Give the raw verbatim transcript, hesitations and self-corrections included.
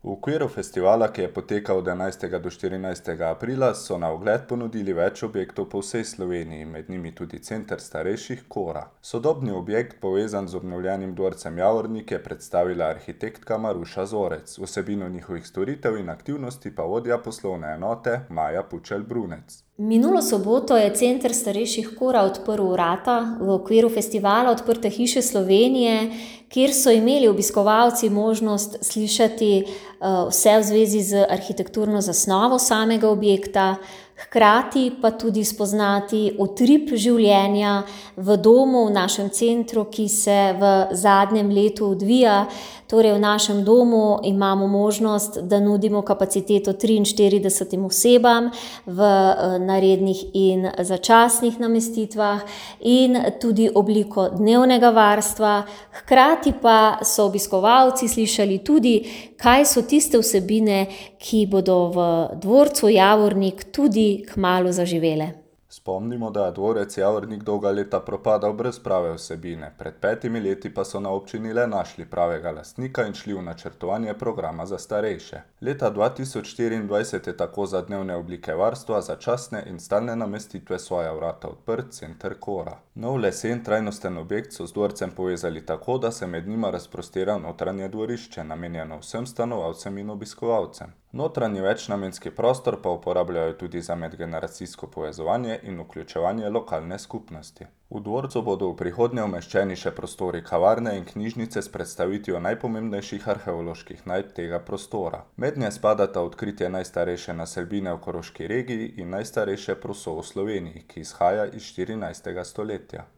V okviru festivala, ki je potekal od enajstega do štirinajstega aprila, so na ogled ponudili več objektov po vsej Sloveniji, med njimi tudi Center starejših Kora. Sodobni objekt, povezan z obnovljenim dvorcem Javornik, je predstavila arhitektka Maruša Zorec, vsebino njihovih storitev in aktivnosti pa vodja poslovne enote Maja Pučelj Brunec. Minulo soboto je Center starejših Kora odprl vrata v okviru festivala Odprte hiše Slovenije, kjer so imeli obiskovalci možnost slišati vse v zvezi z arhitekturno zasnovo samega objekta, hkrati pa tudi spoznati utrip življenja v domu, v našem centru, ki se v zadnjem letu odvija. Torej v našem domu imamo možnost, da nudimo kapaciteto triinštiridesetim osebam v na rednih in začasnih namestitvah in tudi obliko dnevnega varstva. Hkrati pa so obiskovalci slišali tudi, kaj so tiste vsebine, ki bodo v dvorcu Javornik tudi kmalu zaživele. Spomnimo, da je dvorec Javornik dolga leta propadal brez prave vsebine, pred petimi leti pa so na občini le našli pravega lastnika in šli v načrtovanje programa za starejše. Leta dva tisoč štiriindvajset je tako za dnevne oblike varstva, začasne in stalne namestitve svoja vrata odprt Center Kora. Nov lesen trajnosten objekt so z dvorcem povezali tako, da se med njima razprostira notranje dvorišče, namenjeno vsem stanovalcem in obiskovalcem. Notranji večnamenski prostor pa uporabljajo tudi za medgeneracijsko povezovanje in vključevanje lokalne skupnosti. V dvorcu bodo v prihodnje umeščeni še prostori kavarne in knjižnice s predstavitvijo najpomembnejših arheoloških najdb tega prostora. Mednje spadata odkritje najstarejše naselbine v Koroški regiji in najstarejše proso v Sloveniji, ki izhaja iz štirinajstega stoletja.